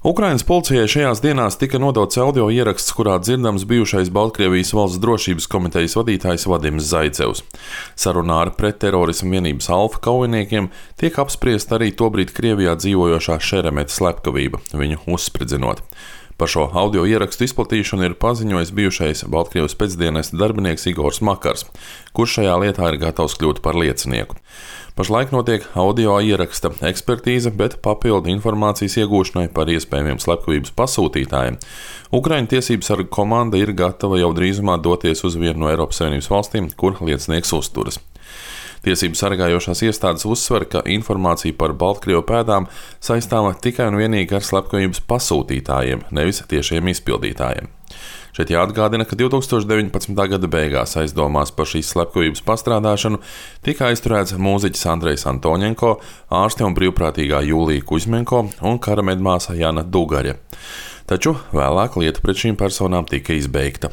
Ukrainas policijai šajās dienās tika nodots audio ieraksts, kurā dzirdams bijušais Baltkrievijas valsts drošības komitejas vadītājs Vadims Zaicevs. Sarunā ar pretterorismu vienības Alfa kaujiniekiem tiek apspriesta arī tobrīd Krievijā dzīvojošā Šeremeta slepkavība, viņu uzspridzinot. Par šo audio ierakstu izplatīšanu ir paziņojis bijušais Baltkrievijas pēcdienesta darbinieks Igors Makars, kurš šajā lietā ir gatavs kļūt par liecinieku. Pašlaik notiek audio ieraksta ekspertīze, bet papildu informācijas iegūšanai par iespējamiem slepkavības pasūtītājiem Ukraiņu tiesību sargu komanda ir gatava jau drīzumā doties uz vienu no Eiropas Savienības valstīm, kur liecinieks uzturas. Tiesību sargājošās iestādes uzsver, ka informācija par Baltkrievu pēdām saistāma tikai un vienīgi ar slepkavības pasūtītājiem, nevis tiešiem izpildītājiem. Šeit jāatgādina, ka 2019. gada beigās aizdomās par šīs slepkavības pastrādāšanu tika aizturēts mūziķis Andrejs Antoņenko, ārste un brīvprātīgā Jūlija Kuźmenko un karamedmāsa Jana Dugaļa. Taču vēlāk lieta pret šīm personām tika izbeigta.